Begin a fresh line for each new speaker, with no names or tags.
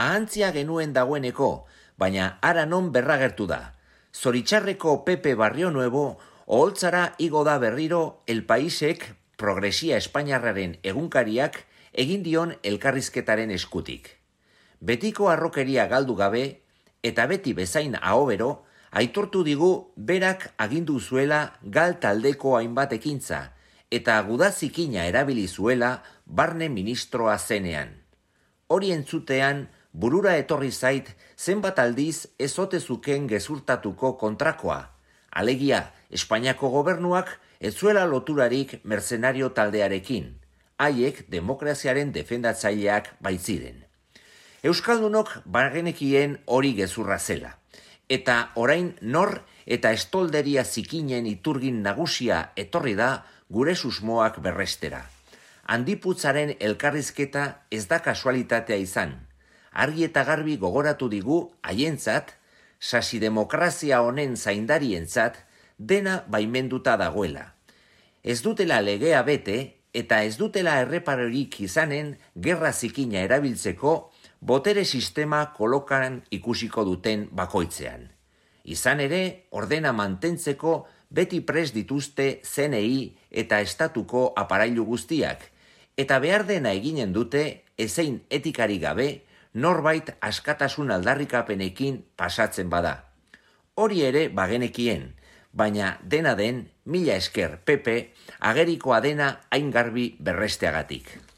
Ahantzia genuen dagoeneko, baina ara non berragertu da. Zoritxarreko Pepe Barrio Nuevo, oholtzara igo da berriro El Paisek Progresia Espainiarraren egunkariak egin dion elkarrizketaren eskutik. Betiko harrokeria galdu gabe, eta beti bezain ahobero, aitortu digu berak agindu zuela gal taldeko hainbat ekintza, eta gudazikina erabili zuela barne ministroa zenean. Hori entzutean, burura etorri zait zenbat aldiz ez ote zuken gezurtatuko kontrakoa. Alegia, Espainiako gobernuak ez zuela loturarik mercenario taldearekin, haiek demokraziaren defendatzaileak baitziren. Euskaldunok bagenekien hori gezurra zela, eta orain nor eta estolderia zikinen iturgin nagusia etorri da gure susmoak berrestera. Handiputzaren elkarrizketa ez da kasualitatea izan. Argi eta garbi gogoratu digu haientzat, sasidemokrazia honen zaindarientzat, dena baimenduta dagoela. Ez dutela legea bete eta ez dutela erreparorik izanen gerra zikina erabiltzeko botere sistema kolokan ikusiko duten bakoitzean. Izan ere, ordena mantentzeko beti prest dituzte ZNI eta estatuko aparailu guztiak, eta behar dena eginen dute ezein etikari gabe norbait askatasun aldarrikapenekin pasatzen bada. Hori ere bagenekien, baina dena den, mila esker Pepe, agerikoa dena hain garbi berresteagatik.